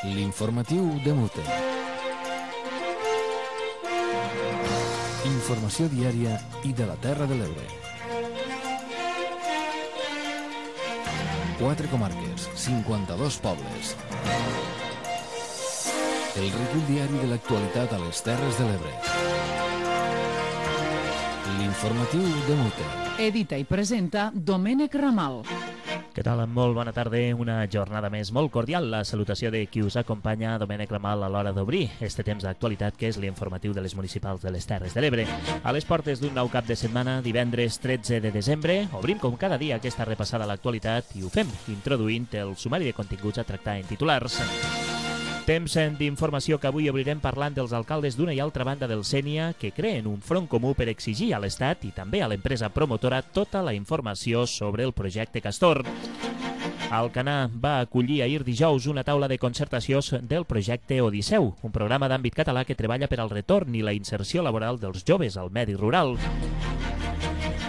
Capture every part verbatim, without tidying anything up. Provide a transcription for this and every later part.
L'informatiu de Mute. Informació diària i de la Terra de l'Ebre. Quatre comarques, cinquanta-dos pobles. El recull diari de l'actualitat a les Terres de l'Ebre. L'informatiu de Mute. Edita i presenta Domènec Ramal. Què tal? Molt bona tarda, una jornada més molt cordial. La salutació de qui us acompanya, Domènec Ramal, a l'hora d'obrir este temps d'actualitat que és l'informatiu de les municipals de les Terres de l'Ebre. A les portes d'un nou cap de setmana, divendres tretze de desembre, obrim com cada dia aquesta repassada a l'actualitat i ho fem introduint el sumari de continguts a tractar en titulars. Temps d'informació que avui obrirem parlant dels alcaldes d'una i altra banda del Sénia que creen un front comú per exigir a l'Estat i també a l'empresa promotora tota la informació sobre el projecte Castor. Alcanar va acollir ahir dijous una taula de concertació del projecte Odisseu, un programa d'àmbit català que treballa per al retorn i la inserció laboral dels joves al medi rural.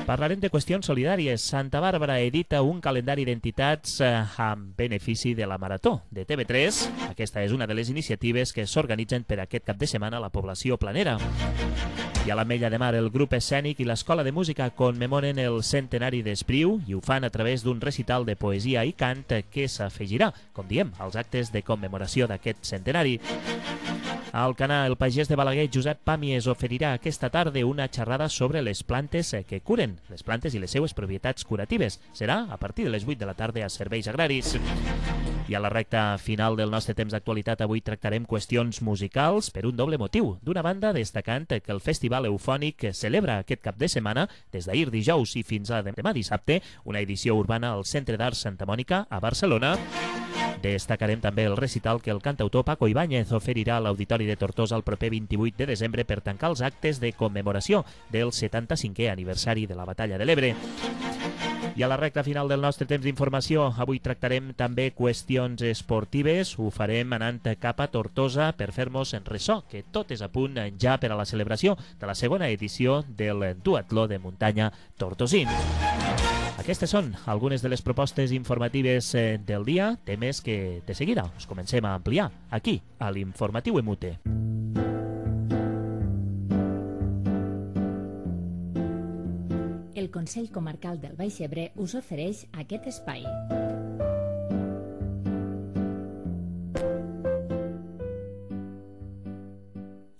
Parlarem de qüestions solidàries. Santa Bàrbara edita un calendari d'entitats eh, amb benefici de la Marató de T V tres. Aquesta és una de les iniciatives que s'organitzen per aquest cap de setmana a la població planera. I a l'Ametlla de Mar, el grup escènic i l'Escola de Música commemoren el centenari d'Espriu i ho fan a través d'un recital de poesia i cant que s'afegirà, com diem, als actes de commemoració d'aquest centenari. A Alcanar, el pagès de Balaguer, Josep Pàmies, oferirà aquesta tarda una xerrada sobre les plantes que curen, les plantes i les seues propietats curatives. Serà a partir de les vuit de la tarda a Serveis Agraris. I a la recta final del nostre temps d'actualitat avui tractarem qüestions musicals per un doble motiu. D'una banda, destacant que el Festival Eufònic celebra aquest cap de setmana, des d'ahir dijous i fins a demà dissabte, una edició urbana al Centre d'Art Santa Mònica a Barcelona. Destacarem també el recital que el cantautor Paco Ibáñez oferirà a l'Auditori de Tortosa el proper vint-i-vuit de desembre per tancar els actes de commemoració del setanta-cinquè aniversari de la Batalla de l'Ebre. I a la recta final del nostre temps d'informació, avui tractarem també qüestions esportives. Ho farem anant cap a Tortosa per fer-nos en ressò, que tot és a punt ja per a la celebració de la segona edició del duatló de muntanya tortosín. Aquestes són algunes de les propostes informatives del dia, temes que de seguida us comencem a ampliar aquí, a l'Informatiu Emute. El Consell Comarcal del Baix Ebre us ofereix aquest espai.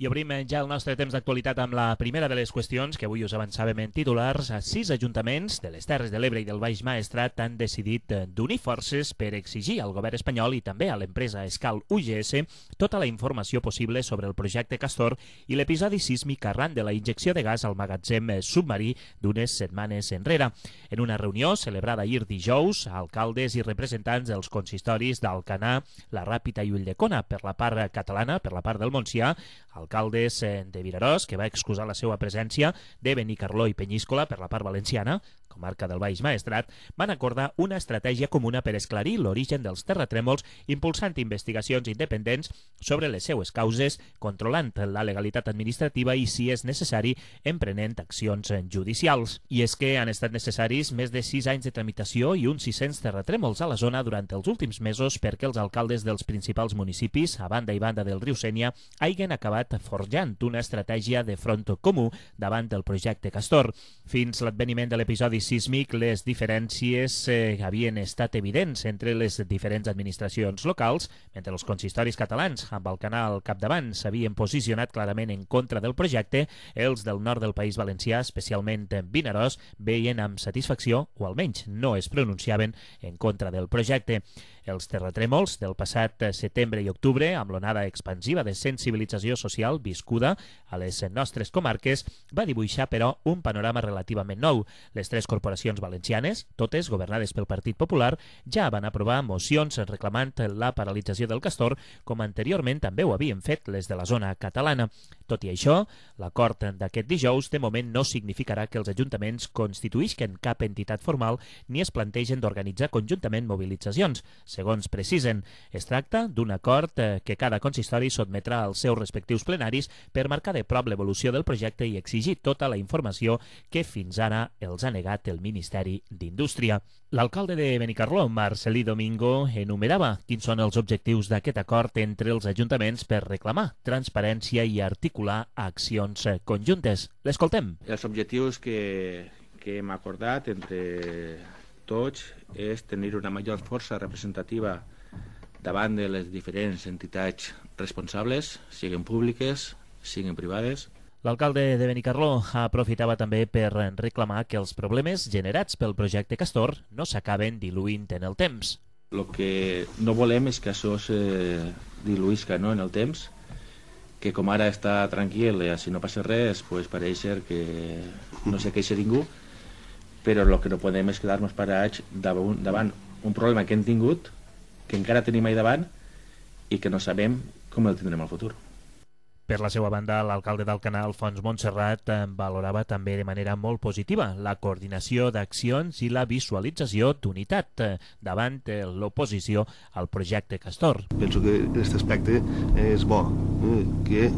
I obrim ja el nostre temps d'actualitat amb la primera de les qüestions que avui us avançàvem en titulars. Sis ajuntaments de les Terres de l'Ebre i del Baix Maestrat han decidit d'unir forces per exigir al govern espanyol i també a l'empresa Escal U G S tota la informació possible sobre el projecte Castor i l'episodi sísmic arran de la injecció de gas al magatzem submarí d'unes setmanes enrere. En una reunió celebrada ahir dijous, alcaldes i representants dels consistoris d'Alcanar, la Ràpita i Ulldecona per la part catalana, per la part del Montsià, alcaldes de Vinaròs, que va excusar la seva presència, de Benicarló i Penyíscola per la part valenciana, comarca del Baix Maestrat, van acordar una estratègia comuna per esclarir l'origen dels terratrèmols, impulsant investigacions independents sobre les seues causes, controlant la legalitat administrativa i, si és necessari, emprenent accions judicials. I és que han estat necessaris més de sis anys de tramitació i uns sis-cents terratrèmols a la zona durant els últims mesos perquè els alcaldes dels principals municipis, a banda i banda del riu Sénia, hagin acabat forjant una estratègia de front comú davant del projecte Castor. Fins l'adveniment de l'episodi sísmic, les diferències eh, havien estat evidents entre les diferents administracions locals, mentre els consistoris catalans, amb el canal al capdavant, s'havien posicionat clarament en contra del projecte, els del nord del País Valencià, especialment Vinaròs, veien amb satisfacció, o almenys no es pronunciaven, en contra del projecte. Els terratrèmols del passat setembre i octubre, amb l'onada expansiva de sensibilització social viscuda a les nostres comarques, va dibuixar, però, un panorama relativament nou. Les tres corporacions valencianes, totes governades pel Partit Popular, ja van aprovar mocions reclamant la paralització del Castor, com anteriorment també ho havien fet les de la zona catalana. Tot i això, l'acord d'aquest dijous de moment no significarà que els ajuntaments constituïsquen cap entitat formal ni es plantegen d'organitzar conjuntament mobilitzacions. Segons precisen, es tracta d'un acord que cada consistori sotmetrà als seus respectius plenaris per marcar de prop l'evolució del projecte i exigir tota la informació que fins ara els ha negat el Ministeri d'Indústria. L'alcalde de Benicarló, Marcelí Domingo, enumerava quins són els objectius d'aquest acord entre els ajuntaments per reclamar transparència i articular accions conjuntes. L'escoltem. Els objectius que, que hem acordat entre tots és tenir una major força representativa davant de les diferents entitats responsables, siguin públiques, siguin privades. L'alcalde de Benicarló aprofitava també per reclamar que els problemes generats pel projecte Castor no s'acaben diluint en el temps. El que no volem és que això se diluïsca, no, en el temps, que com ara està tranquil, i si no passa res, pues pareix ser que no se queixa ningú, però el que no podem és quedar-nos parats davant, davant un problema que hem tingut, que encara tenim ahí davant i que no sabem com el tindrem al futur. Per la seva banda, l'alcalde d'Alcanar, Alfons Montserrat, valorava també de manera molt positiva la coordinació d'accions i la visualització d'unitat davant l'oposició al projecte Castor. Penso que aquest aspecte és bo, eh, que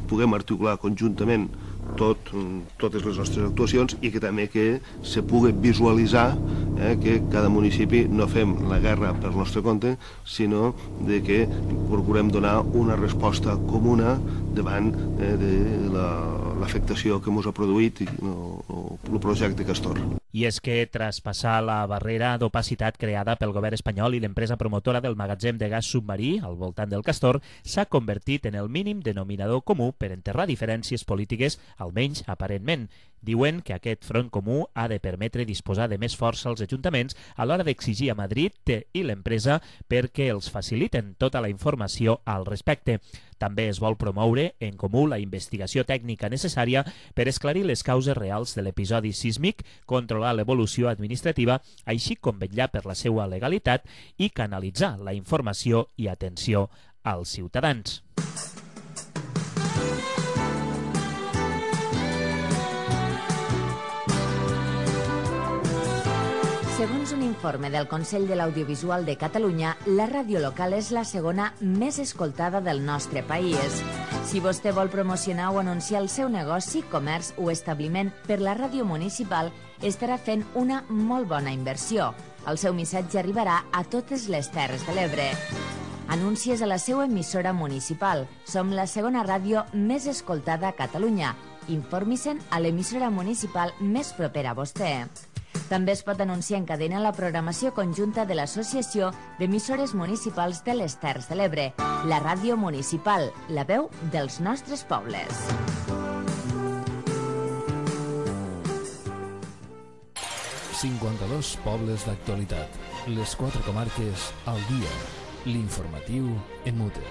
puguem articular conjuntament tot, totes les nostres actuacions i que també que se pugui visualitzar eh, que cada municipi no fem la guerra per nostre compte, sinó de que procurem donar una resposta comuna davant eh, de l'afectació la, que ens ha produït el projecte Castor. I és que, traspassar la barrera d'opacitat creada pel govern espanyol i l'empresa promotora del magatzem de gas submarí al voltant del Castor, s'ha convertit en el mínim denominador comú per enterrar diferències polítiques, almenys aparentment. Diuen que aquest front comú ha de permetre disposar de més força als ajuntaments a l'hora d'exigir a Madrid i l'empresa perquè els faciliten tota la informació al respecte. També es vol promoure en comú la investigació tècnica necessària per esclarir les causes reals de l'episodi sísmic, controlar l'evolució administrativa, així com vetllar per la seva legalitat i canalitzar la informació i atenció als ciutadans. Segons un informe del Consell de l'Audiovisual de Catalunya, la ràdio local és la segona més escoltada del nostre país. Si vostè vol promocionar o anunciar el seu negoci, comerç o establiment per la ràdio municipal, estarà fent una molt bona inversió. El seu missatge arribarà a totes les Terres de l'Ebre. Anuncies a la seva emissora municipal. Som la segona ràdio més escoltada a Catalunya. Informi-se'n a l'emissora municipal més propera a vostè. També es pot anunciar en cadena la programació conjunta de l'Associació d'Emissores Municipals de les Terres de l'Ebre, la ràdio municipal, la veu dels nostres pobles. cinquanta-dos pobles d'actualitat, les quatre comarques al dia, l'informatiu en mute.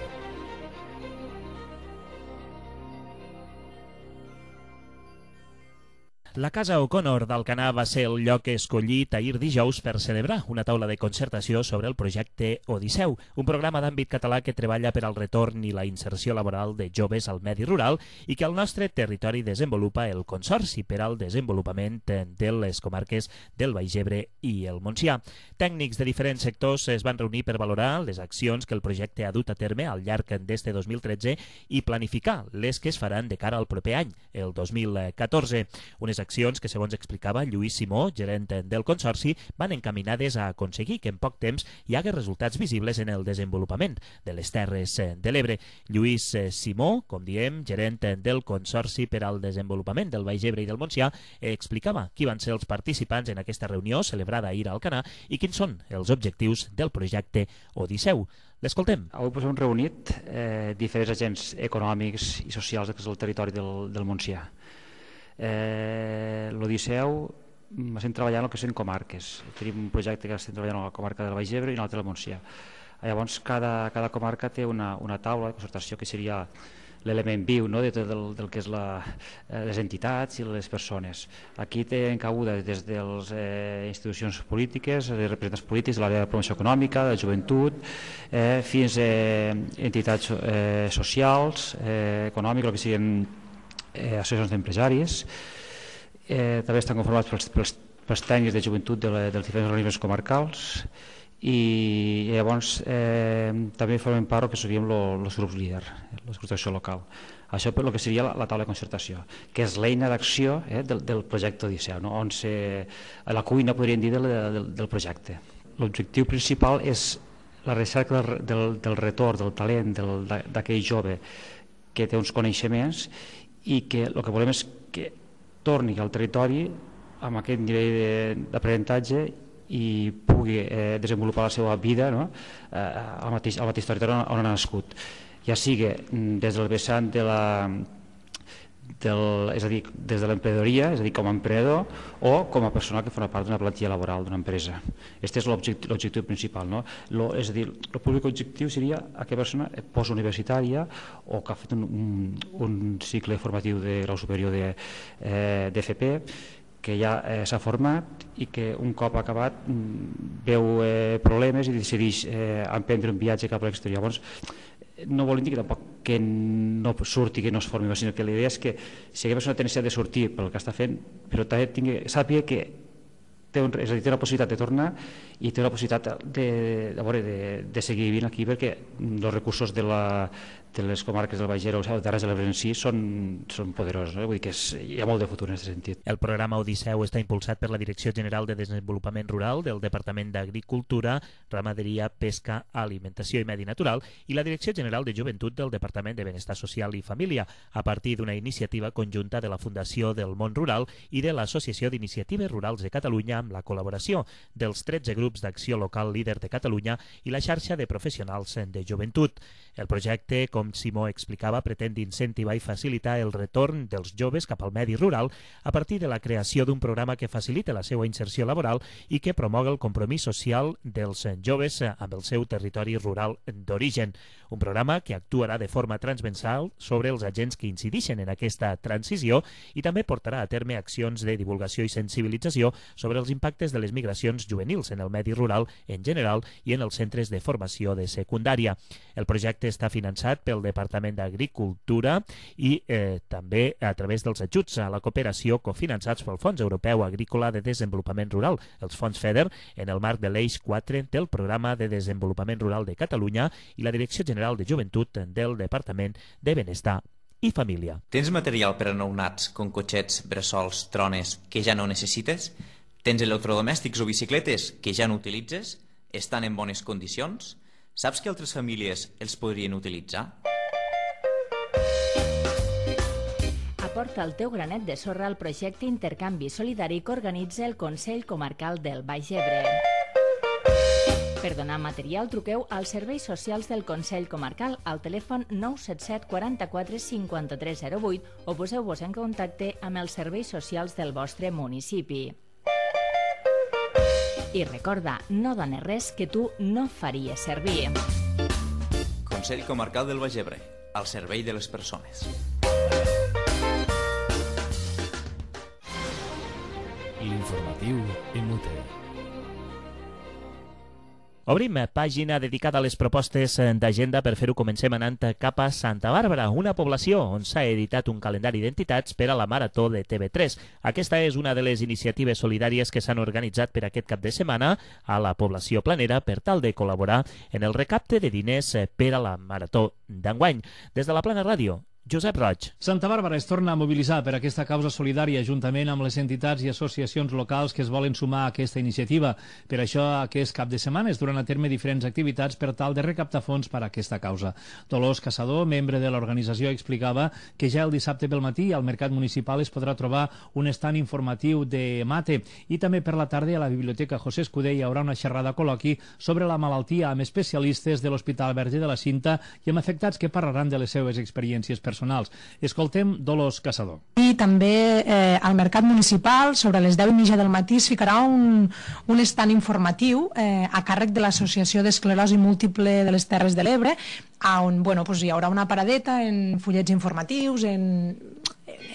La Casa O'Connor d'Alcanar va ser el lloc escollit ahir dijous per celebrar una taula de concertació sobre el projecte Odisseu, un programa d'àmbit català que treballa per al retorn i la inserció laboral de joves al medi rural i que al nostre territori desenvolupa el Consorci per al Desenvolupament de les comarques del Baix Ebre i el Montsià. Tècnics de diferents sectors es van reunir per valorar les accions que el projecte ha dut a terme al llarg d'este dos mil tretze i planificar les que es faran de cara al proper any, el dos mil catorze. Unes accions que, segons explicava Lluís Simó, gerent del Consorci, van encaminades a aconseguir que en poc temps hi hagués resultats visibles en el desenvolupament de les Terres de l'Ebre. Lluís Simó, com diem, gerent del Consorci per al Desenvolupament del Baix Ebre i del Montsià, explicava qui van ser els participants en aquesta reunió celebrada ahir a Alcanar i quins són els objectius del projecte Odisseu. L'escoltem. Avui pues, hem reunit eh, diferents agents econòmics i socials del territori del, del Montsià. Eh, L'Odisseu estem treballant en el que són comarques. Tenim un projecte que estem treballant a la comarca del Baix Ebre i un altre del Montsià. Llavors cada, cada comarca té una, una taula de concertació que seria l'element viu, no?, de tot el, del que és la, les entitats i les persones. Aquí tenen cabuda des de les eh, institucions polítiques, els representants polítics de l'àrea de promoció econòmica, de la joventut, eh, fins a eh, entitats eh, socials, eh, econòmiques, el que siguin eh, associacions d'empresaris. Eh, també estan conformats pels, pels, pels tècnics de joventut de la, dels diferents organismes comarcals i llavors eh, també formem part del que seríem els grups líder, els grups d'acció local. Això per el que seria la, la taula de concertació, que és l'eina d'acció eh, del, del projecte Odisseu, no? On se, a la cuina podríem dir del, del, del projecte. L'objectiu principal és la recerca del, del, del retorn, del talent d'aquell jove que té uns coneixements i que el que volem és que torni al territori amb aquest nivell d'aprenentatge i pugui eh, desenvolupar la seva vida, no? eh, al, mateix, al mateix territori on ha nascut, ja sigui des del vessant de la, del, és a dir, des de l'emprenedoria, és a dir, com a emprenedor, o com a persona que forma part d'una plantilla laboral d'una empresa. Aquest és l'objectiu principal, no? Lo, és a dir, el públic objectiu seria aquella persona postuniversitària o que ha fet un, un, un cicle formatiu de grau superior de, eh, d'F P, que ja eh, s'ha format i que un cop acabat veu eh, problemes i decideix eh, emprendre un viatge cap a l'exterior. Llavors, no vol dir que tampoc que no surti, que no es formi, sinó que la idea és que si aquella persona té necessitat de sortir pel que està fent, però també tingui, sàpiga que té, un, és a dir, té una possibilitat de tornar i té una possibilitat de, de, de, de, de seguir vivint aquí, perquè els recursos de, la, de les comarques del Baix Ebre o de Terres de l'Ebre en si són, són poderosos, no? Vull dir que és, hi ha molt de futur en aquest sentit. El programa Odisseu està impulsat per la Direcció General de Desenvolupament Rural del Departament d'Agricultura, Ramaderia, Pesca, Alimentació i Medi Natural i la Direcció General de Joventut del Departament de Benestar Social i Família, a partir d'una iniciativa conjunta de la Fundació del Món Rural i de l'Associació d'Iniciatives Rurals de Catalunya, amb la col·laboració dels tretze grups d'acció local líder de Catalunya i la xarxa de professionals de joventut. El projecte, com Simó explicava, pretén incentivar i facilitar el retorn dels joves cap al medi rural a partir de la creació d'un programa que facilite la seva inserció laboral i que promogui el compromís social dels joves amb el seu territori rural d'origen. Un programa que actuarà de forma transversal sobre els agents que incideixen en aquesta transició i també portarà a terme accions de divulgació i sensibilització sobre els impactes de les migracions juvenils en el medi rural en general i en els centres de formació de secundària. El projecte està finançat pel Departament d'Agricultura i eh, també a través dels ajuts a la cooperació cofinançats pel Fons Europeu Agrícola de Desenvolupament Rural, els fons FEDER, en el marc de l'eix quatre del Programa de Desenvolupament Rural de Catalunya i la Direcció General de Joventut del Departament de Benestar i Família. Tens material per a nounats com cotxets, bressols, trones que ja no necessites? Tens electrodomèstics o bicicletes que ja no utilitzes? Estan en bones condicions? Saps que altres famílies els podrien utilitzar? Aporta el teu granet de sorra al projecte Intercanvi Solidari que organitza el Consell Comarcal del Baix Ebre. Per donar material, truqueu als serveis socials del Consell Comarcal al telèfon nou set set quaranta-quatre cinquanta-tres zero vuit o poseu-vos en contacte amb els serveis socials del vostre municipi. I recorda, no dones res que tu no faries servir. Consell Comarcal del Baix Ebre, al servei de les persones. L'informatiu en Mute. Obrim pàgina dedicada a les propostes d'agenda. Per fer-ho comencem anant cap a Santa Bàrbara, una població on s'ha editat un calendari d'entitats per a la Marató de T V tres. Aquesta és una de les iniciatives solidàries que s'han organitzat per aquest cap de setmana a la població planera per tal de col·laborar en el recapte de diners per a la Marató d'enguany. Des de la Plana Ràdio, Josep Roig. Santa Bàrbara es torna a mobilitzar per aquesta causa solidària juntament amb les entitats i associacions locals que es volen sumar a aquesta iniciativa. Per això, aquest cap de setmana es duran a terme diferents activitats per tal de recaptar fons per a aquesta causa. Dolors Caçador, membre de l'organització, explicava que ja el dissabte pel matí al Mercat Municipal es podrà trobar un estand informatiu de mate i també per la tarda a la Biblioteca José Escudé hi haurà una xerrada col·loqui sobre la malaltia amb especialistes de l'Hospital Verge de la Cinta i amb afectats que parlaran de les seves experiències personals. Escoltem Dolors Caçador. I també eh, al Mercat Municipal, sobre les deu i mitja del matí, es ficarà un, un estand informatiu eh, a càrrec de l'Associació d'Esclerosi Múltiple de les Terres de l'Ebre, on bueno, pues hi haurà una paradeta en fullets informatius, en,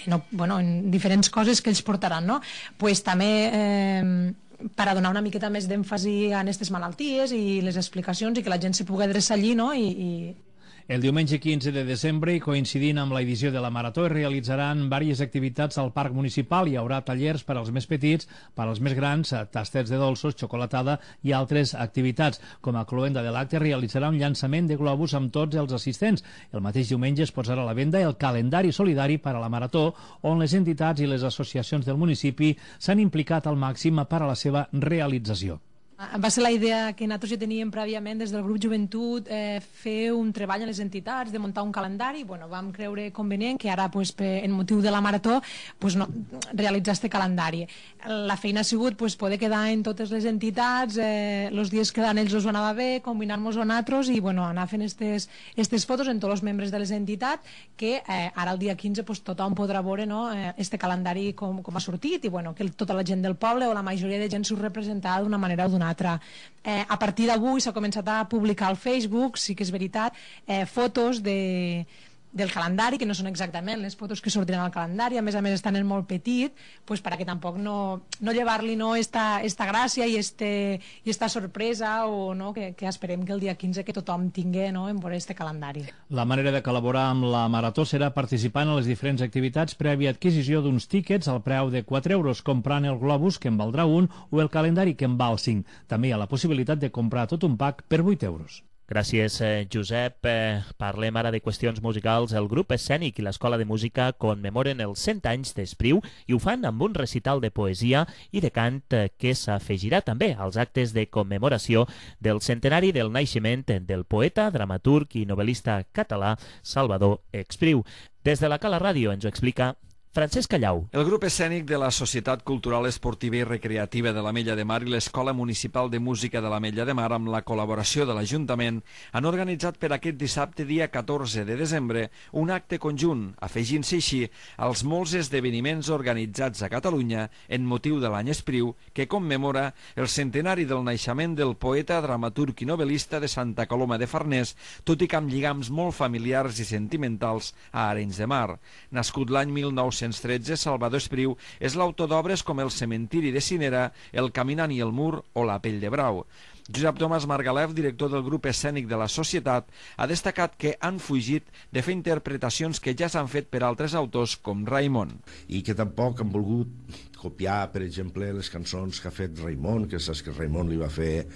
en, bueno, en diferents coses que ells portaran, no? Pues també eh, per a donar una miqueta més d'èmfasi a aquestes malalties i les explicacions i que la gent se pugui adreçar allí, no? I, i El diumenge quinze de desembre, i coincidint amb l'edició de la Marató, es realitzaran diverses activitats al Parc Municipal. Hi haurà tallers per als més petits, per als més grans, tastets de dolços, xocolatada i altres activitats. Com a cloenda de l'acte, realitzarà un llançament de globus amb tots els assistents. El mateix diumenge es posarà a la venda el calendari solidari per a la Marató, on les entitats i les associacions del municipi s'han implicat al màxim per a la seva realització. Va ser la idea que nosaltres ja teníem prèviament des del grup Joventut, eh, fer un treball a les entitats, de muntar un calendari. Bueno, vam creure convenient que ara, pues, en motiu de la Marató, pues, no, realitzar este calendari. La feina ha sigut pues, poder quedar en totes les entitats, eh, els dies que ells us anava bé, combinar-nos amb nosaltres i bueno, anar fent estes, estes fotos en tots els membres de les entitats, que eh, ara el dia quinze pues, tothom podrà veure, no, eh, este calendari com, com ha sortit, i bueno, que tota la gent del poble o la majoria de gent surt representada d'una manera o d'una altra. Eh, a partir d'avui s'ha començat a publicar al Facebook, sí que és veritat, eh, fotos de, del calendari, que no són exactament les fotos que sortiran al calendari, a més a més estan en molt petit, pues, perquè tampoc no, no llevar-li no, esta, esta gràcia i, este, i esta sorpresa o, no, que, que esperem que el dia quinze que tothom tingui, no, en veure este calendari. La manera de col·laborar amb la Marató serà participant a les diferents activitats prèvia adquisició d'uns tíquets al preu de quatre euros, comprant el globus, que en valdrà un, o el calendari, que en val cinc. També hi ha la possibilitat de comprar tot un pack per vuit euros. Gràcies, eh, Josep. Eh, parlem ara de qüestions musicals. El grup escènic i l'Escola de Música commemoren els cent anys d'Espriu i ho fan amb un recital de poesia i de cant eh, que s'afegirà també als actes de commemoració del centenari del naixement del poeta, dramaturg i novel·lista català Salvador Espriu. Des de la Cala Ràdio ens ho explica Francesc Callau. El grup escènic de la Societat Cultural Esportiva i Recreativa de l'Ametlla de Mar i l'Escola Municipal de Música de l'Ametlla de Mar, amb la col·laboració de l'Ajuntament, han organitzat per aquest dissabte, dia catorze de desembre, un acte conjunt, afegint-se així als molts esdeveniments organitzats a Catalunya en motiu de l'any Espriu, que commemora el centenari del naixement del poeta, dramaturg i novel·lista de Santa Coloma de Farners, tot i que amb lligams molt familiars i sentimentals a Arenys de Mar. Nascut l'any mil nou-cents tretze, Salvador Espriu és l'autor d'obres com El cementiri de Cinera, El caminant i el mur o La pell de brau. Josep Tomàs Margalef, director del grup escènic de la Societat, ha destacat que han fugit de fer interpretacions que ja s'han fet per altres autors com Raimon. I que tampoc han volgut copiar, per exemple, les cançons que ha fet Raimon, que saps que Raimon li va fer,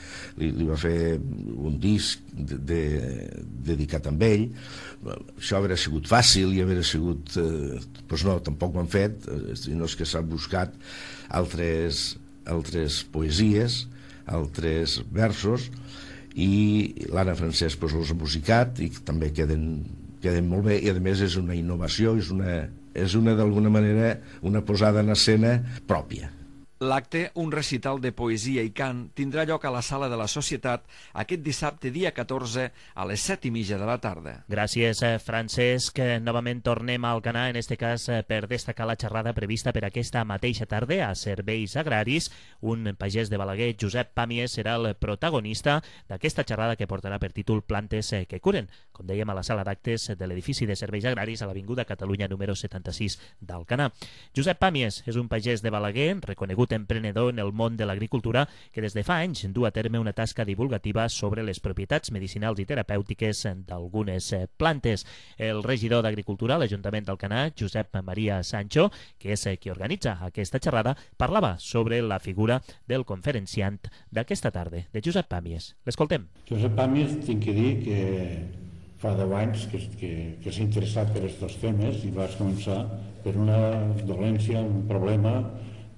li, li va fer un disc de, de, dedicat a ell. Això hauria sigut fàcil i hauria sigut... Eh, doncs no, tampoc ho han fet, sinó que s'han buscat altres, altres poesies, altres versos, i l'Anna Francesc pues, els ha musicat i també queden, queden molt bé, i a més és una innovació, és una, és una d'alguna manera una posada en escena pròpia. L'acte, un recital de poesia i cant, tindrà lloc a la Sala de la Societat aquest dissabte, dia catorze, a les set i mitja de la tarda. Gràcies, Francesc. Novament tornem al Alcanar, en este cas per destacar la xerrada prevista per aquesta mateixa tarda a Serveis Agraris. Un pagès de Balaguer, Josep Pàmies, serà el protagonista d'aquesta xerrada que portarà per títol Plantes que curen, com dèiem, a la sala d'actes de l'edifici de Serveis Agraris a l'Avinguda Catalunya número setanta-sis d'Alcanar. Josep Pàmies és un pagès de Balaguer, reconegut emprenedor en el món de l'agricultura, que des de fa anys du a terme una tasca divulgativa sobre les propietats medicinals i terapèutiques d'algunes plantes. El regidor d'Agricultura a l'Ajuntament d'Alcanar, Josep Maria Sancho, que és qui organitza aquesta xerrada, parlava sobre la figura del conferenciant d'aquesta tarda, de Josep Pàmies. L'escoltem. Josep Pàmies, tinc que dir que fa deu anys que, que, que s'ha interessat per aquests temes i va començar per una dolència, un problema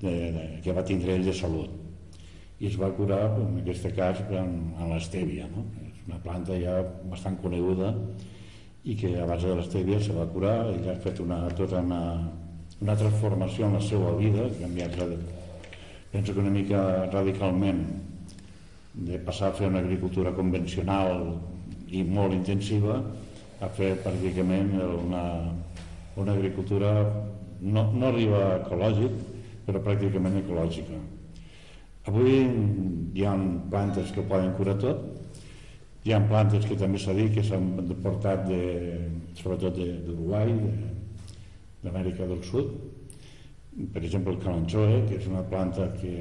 De, de, que va tindre ell de salut, i es va curar en aquest cas amb, amb l'estèvia, no? És una planta ja bastant coneguda i que a base de l'estèvia se va curar. Ell ha fet una, tota una, una transformació en la seva vida, canviat, penso que una mica radicalment, de passar a fer una agricultura convencional i molt intensiva a fer pràcticament una, una agricultura no, no arriba a ecològic, però pràcticament ecològica. Avui hi ha plantes que poden curar tot, hi ha plantes que també s'ha dit que s'han portat de, sobretot d'Uruguai, d'Amèrica del Sud, per exemple el calanchoe, que és una planta que,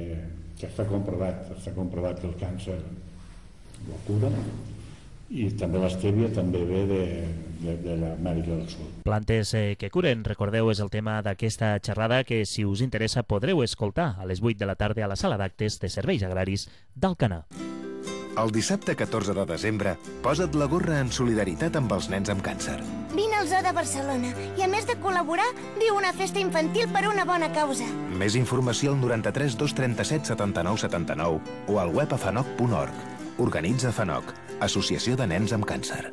que està comprovat, està comprovat que el càncer ho cura, i també l'estèvia també ve de, de, de l'Amèrica del Sud. Plantes eh, que curen, recordeu, és el tema d'aquesta xerrada que, si us interessa, podreu escoltar a les vuit de la tarda a la sala d'actes de Serveis Agraris d'Alcanar. El dissabte catorze de desembre, posa't la gorra en solidaritat amb els nens amb càncer. Vine al Zoo de Barcelona i, a més de col·laborar, viu una festa infantil per una bona causa. Més informació al noranta-tres dos trenta-set setanta-nou setanta-nou o al web a fanoc punt org. Organitza FANOC, Associació de Nens amb Càncer.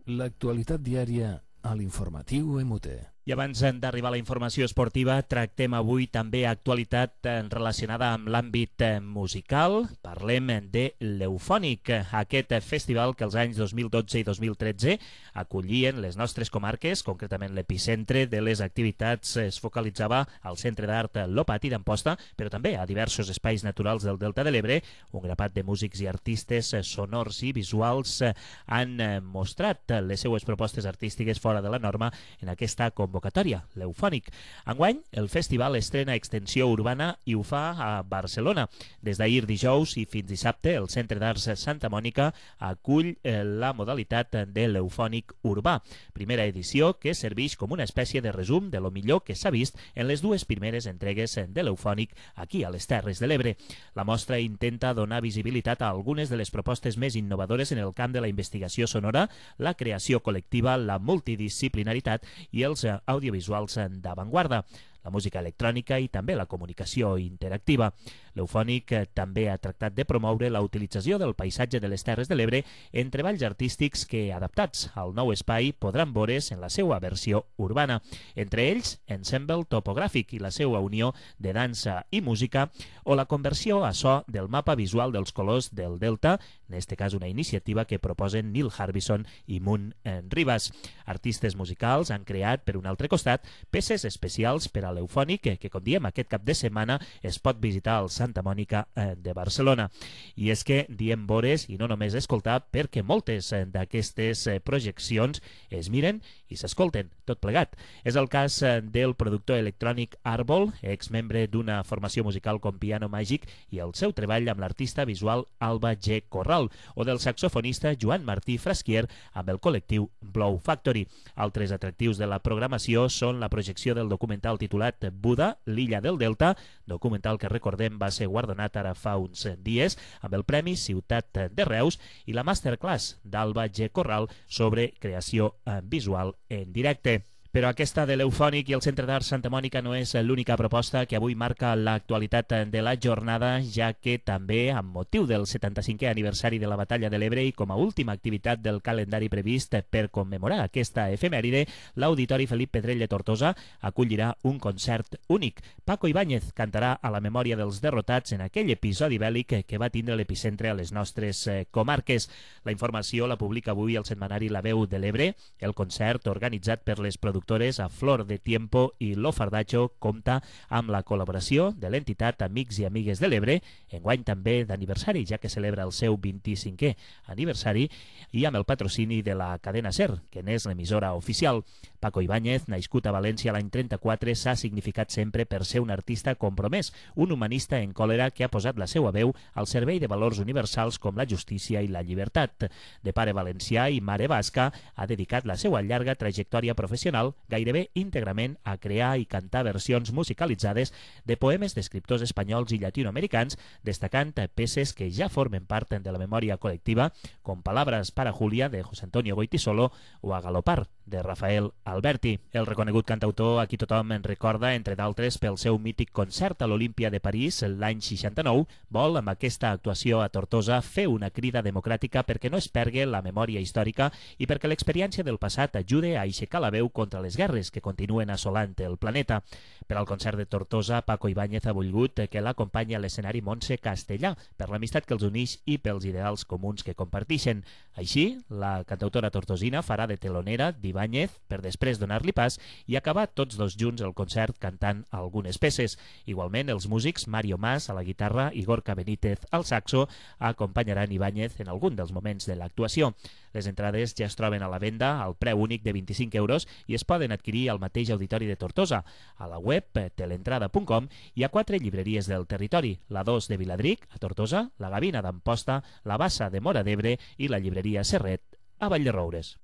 L'actualitat diària a l'informatiu M U T. I abans d'arribar a la informació esportiva, tractem avui també actualitat relacionada amb l'àmbit musical. Parlem de l'Eufònic, aquest festival que els anys dos mil dotze i dos mil tretze acollien les nostres comarques, concretament l'epicentre de les activitats es focalitzava al Centre d'Art Lopati d'Amposta, però també a diversos espais naturals del Delta de l'Ebre. Un grapat de músics i artistes sonors i visuals han mostrat les seues propostes artístiques fora de la norma en aquesta convocatòria, l'Eufònic. Enguany, el festival estrena extensió urbana i ho fa a Barcelona. Des d'ahir dijous i fins dissabte, el Centre d'Arts Santa Mònica acull la modalitat de l'Eufònic urbà. Primera edició que serveix com una espècie de resum de lo millor que s'ha vist en les dues primeres entregues de l'Eufònic aquí a les Terres de l'Ebre. La mostra intenta donar visibilitat a algunes de les propostes més innovadores en el camp de la investigació sonora, la creació col·lectiva, la multidisciplinaritat i els audiovisuals d'avantguarda, la música electrònica i també la comunicació interactiva. L'Eufònic també ha tractat de promoure la utilització del paisatge de les Terres de l'Ebre en treballs artístics que, adaptats al nou espai, podran veure's en la seva versió urbana. Entre ells, ensemble topogràfic i la seva unió de dansa i música, o la conversió a so del mapa visual dels colors del Delta, en aquest cas una iniciativa que proposen Neil Harbison i Moon Ribas. Artistes musicals han creat, per un altre costat, peces especials per a l'Eufònic, que, que, com diem, aquest cap de setmana es pot visitar al Santa Mònica eh, de Barcelona. I és que diem vores i no només escoltar, perquè moltes eh, d'aquestes eh, projeccions es miren i s'escolten, tot plegat. És el cas eh, del productor electrònic Arbol, exmembre d'una formació musical com Piano Màgic, i el seu treball amb l'artista visual Alba G. Corral, o del saxofonista Joan Martí Frasquier amb el col·lectiu Blow Factory. Altres atractius de la programació són la projecció del documental titulat Buda, l'illa del Delta, documental que, recordem, va ser guardonat ara fa uns dies amb el Premi Ciutat de Reus, i la masterclass d'Alba G. Corral sobre creació visual en directe. Però aquesta de l'Eufònic i el Centre d'Art Santa Mònica no és l'única proposta que avui marca l'actualitat de la jornada, ja que també, amb motiu del setanta-cinquè aniversari de la Batalla de l'Ebre i com a última activitat del calendari previst per commemorar aquesta efemèride, l'Auditori Felip Pedrell de Tortosa acollirà un concert únic. Paco Ibáñez cantarà a la memòria dels derrotats en aquell episodi bèl·lic que va tindre l'epicentre a les nostres comarques. La informació la publica avui el setmanari La Veu de l'Ebre. El concert, organitzat per les productores a Flor de Tiempo i Lo Fardacho, compta amb la col·laboració de l'entitat Amics i Amigues de l'Ebre, enguany també d'aniversari, ja que celebra el seu vint-i-cinquè aniversari, i amb el patrocini de la cadena SER, que n'és l'emissora oficial. Paco Ibáñez, nascut a València l'any trenta-quatre, s'ha significat sempre per ser un artista compromès, un humanista en còlera que ha posat la seva veu al servei de valors universals com la justícia i la llibertat. De pare valencià i mare basca, ha dedicat la seva llarga trajectòria professional gairebé íntegrament a crear i cantar versions musicalitzades de poemes d'escriptors espanyols i llatinoamericans, destacant peces que ja formen part de la memòria col·lectiva, com Palabras para Julia, de José Antonio Goytisolo, o A Galopar, de Rafael Alberti. El reconegut cantautor a qui tothom en recorda, entre d'altres, pel seu mític concert a l'Olímpia de París l'any seixanta-nou, vol, amb aquesta actuació a Tortosa, fer una crida democràtica perquè no es pergui la memòria històrica i perquè l'experiència del passat ajude a aixecar la veu contra les guerres que continuen assolant el planeta. Per al concert de Tortosa, Paco Ibáñez ha volgut que l'acompanyi a l'escenari Montse Castellà, per l'amistat que els uneix i pels ideals comuns que compartixen. Així, la cantautora tortosina farà de telonera d'Ibáñez per després donar-li pas i acabar tots dos junts el concert cantant algunes peces. Igualment, els músics Mario Mas a la guitarra i Gorka Benítez al saxo acompanyaran Ibáñez en algun dels moments de l'actuació. Les entrades ja es troben a la venda al preu únic de vint-i-cinc euros i es poden adquirir al mateix auditori de Tortosa, a la web telentrada punt com i a quatre llibreries del territori, la dos de Viladric, a Tortosa, la Gavina d'Amposta, la Bassa de Móra d'Ebre i la llibreria Serret, a Vall de Roures.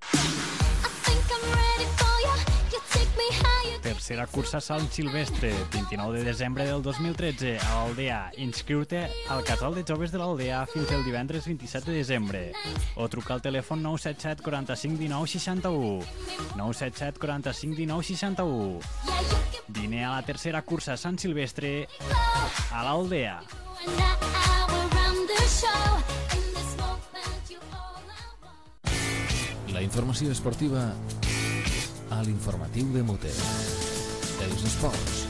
Tercera cursa Sant Silvestre, vint-i-nou de desembre del dos mil tretze, a l'Aldea. Inscriu-te al casal de joves de l'Aldea fins el divendres vint-i-set de desembre. O truca al telèfon nou set set quaranta-cinc dinou seixanta-u. nou set set quaranta-cinc dinou seixanta-u. Vine a la tercera cursa Sant Silvestre a l'Aldea. La informació esportiva a l'informatiu de Mute. Els esports.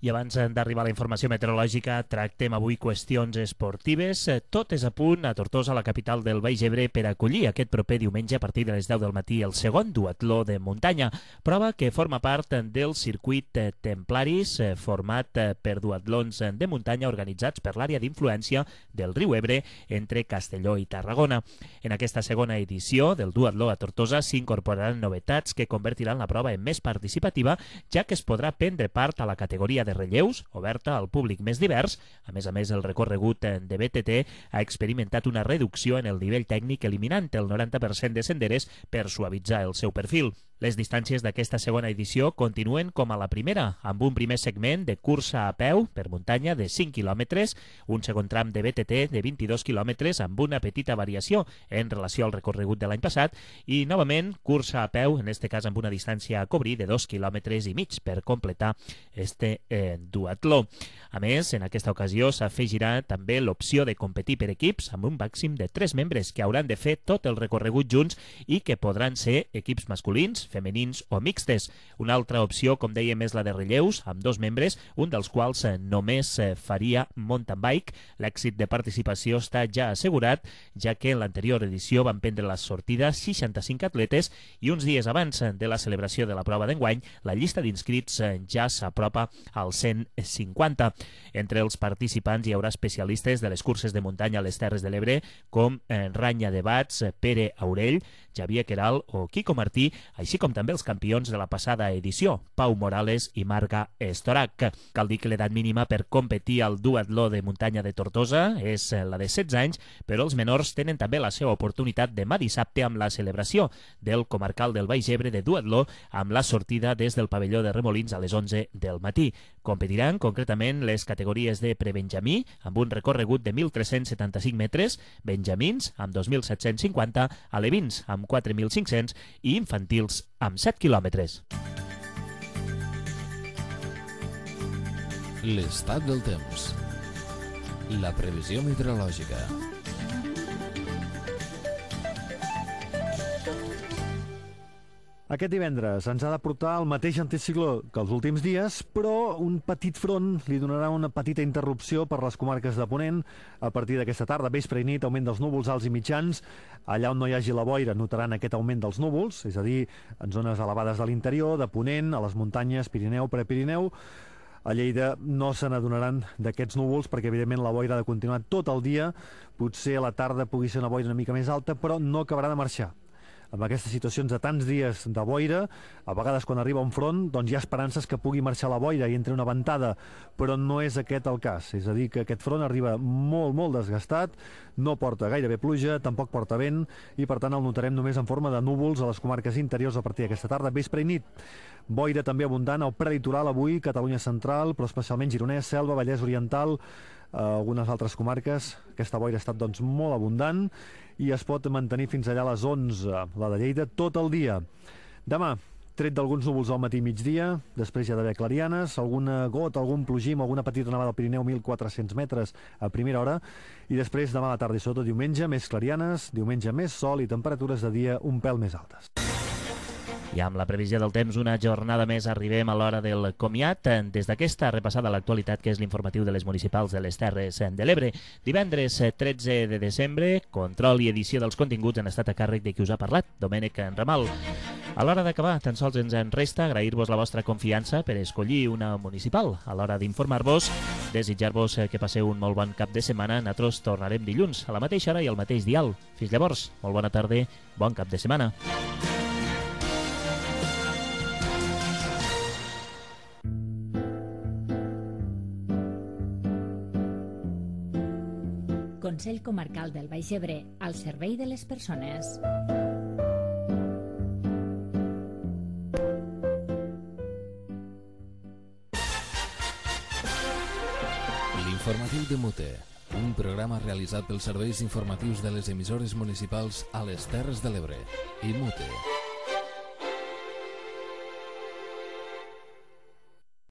I abans d'arribar a la informació meteorològica, tractem avui qüestions esportives. Tot és a punt a Tortosa, la capital del Baix Ebre, per acollir aquest proper diumenge a partir de les deu del matí el segon duatló de muntanya, prova que forma part del circuit Templaris, format per duatlons de muntanya organitzats per l'àrea d'influència del riu Ebre entre Castelló i Tarragona. En aquesta segona edició del duatló a Tortosa s'incorporaran novetats que convertiran la prova en més participativa, ja que es podrà prendre part a la categoria de de relleus, oberta al públic més divers. A més a més, el recorregut de B T T ha experimentat una reducció en el nivell tècnic, eliminant el noranta per cent de senderes per suavitzar el seu perfil. Les distàncies d'aquesta segona edició continuen com a la primera, amb un primer segment de cursa a peu per muntanya de cinc quilòmetres, un segon tram de B T T de vint-i-dos quilòmetres amb una petita variació en relació al recorregut de l'any passat i, novament, cursa a peu, en aquest cas amb una distància a cobrir de dos quilòmetres i mig per completar este eh, duatló. A més, en aquesta ocasió s'afegirà també l'opció de competir per equips amb un màxim de tres membres que hauran de fer tot el recorregut junts i que podran ser equips masculins, femenins o mixtes. Una altra opció, com dèiem, és la de relleus, amb dos membres, un dels quals només faria mountain bike. L'èxit de participació està ja assegurat, ja que en l'anterior edició van prendre la sortida seixanta-cinc atletes i uns dies abans de la celebració de la prova d'enguany, la llista d'inscrits ja s'apropa als cent cinquanta. Entre els participants hi haurà especialistes de les curses de muntanya a les Terres de l'Ebre, com Ranya de Bats, Pere Aurell, Xavier Queral o Quico Martí, així com també els campions de la passada edició, Pau Morales i Marga Estorac. Cal dir que l'edat mínima per competir al duatló de muntanya de Tortosa és la de setze anys, però els menors tenen també la seva oportunitat demà dissabte amb la celebració del comarcal del Baix Ebre de duatló amb la sortida des del pavelló de Remolins a les onze del matí. Competiran concretament les categories de prebenjamí amb un recorregut de mil tres-cents setanta-cinc metres, benjamins amb dos mil set-cents cinquanta, alevins amb quatre mil cinc-cents i infantils amb set quilòmetres. L'estat del temps. La previsió meteorològica. Aquest divendres ens ha de portar el mateix anticicló que els últims dies, però un petit front li donarà una petita interrupció per les comarques de Ponent. A partir d'aquesta tarda, vespre i nit, augment dels núvols alts i mitjans. Allà on no hi hagi la boira notaran aquest augment dels núvols, és a dir, en zones elevades de l'interior, de Ponent, a les muntanyes, Pirineu, Prepirineu. A Lleida no se n'adonaran d'aquests núvols perquè, evidentment, la boira ha de continuar tot el dia. Potser a la tarda pugui ser una boira una mica més alta, però no acabarà de marxar. Amb aquestes situacions de tants dies de boira, a vegades quan arriba un front, doncs hi ha esperances que pugui marxar la boira i entre una ventada, però no és aquest el cas. És a dir, que aquest front arriba molt, molt desgastat, no porta gairebé pluja, tampoc porta vent, i per tant el notarem només en forma de núvols a les comarques interiors a partir d'aquesta tarda, vespre i nit. Boira també abundant al prelitoral avui, Catalunya central, però especialment Gironès, Selva, Vallès Oriental, algunes altres comarques. Aquesta boira ha estat doncs molt abundant i es pot mantenir fins allà a les onze, la de Lleida, tot el dia. Demà, tret d'alguns núvols al matí i migdia, després hi ha d'haver clarianes, alguna gota, algun plogim, alguna petita nevada al Pirineu, mil quatre-cents metres a primera hora, i després demà a la tarda i sobretot diumenge, més clarianes, diumenge més sol i temperatures de dia un pèl més altes. I amb la previsió del temps, una jornada més arribem a l'hora del comiat. Des d'aquesta repassada l'actualitat, que és l'informatiu de les municipals de les Terres de l'Ebre. Divendres tretze de desembre, control i edició dels continguts han estat a càrrec de qui us ha parlat, Domènec Ramal. A l'hora d'acabar, tan sols ens en resta agrair-vos la vostra confiança per escollir una municipal. A l'hora d'informar-vos, desitjar-vos que passeu un molt bon cap de setmana. Nosaltres tornarem dilluns a la mateixa hora i al mateix dial. Fins llavors, molt bona tarda, bon cap de setmana. Consell Comarcal del Baix Ebre, al servei de les persones. L'informatiu de Mute, un programa realitzat pels serveis informatius de les emissores municipals a les Terres de l'Ebre i Mute.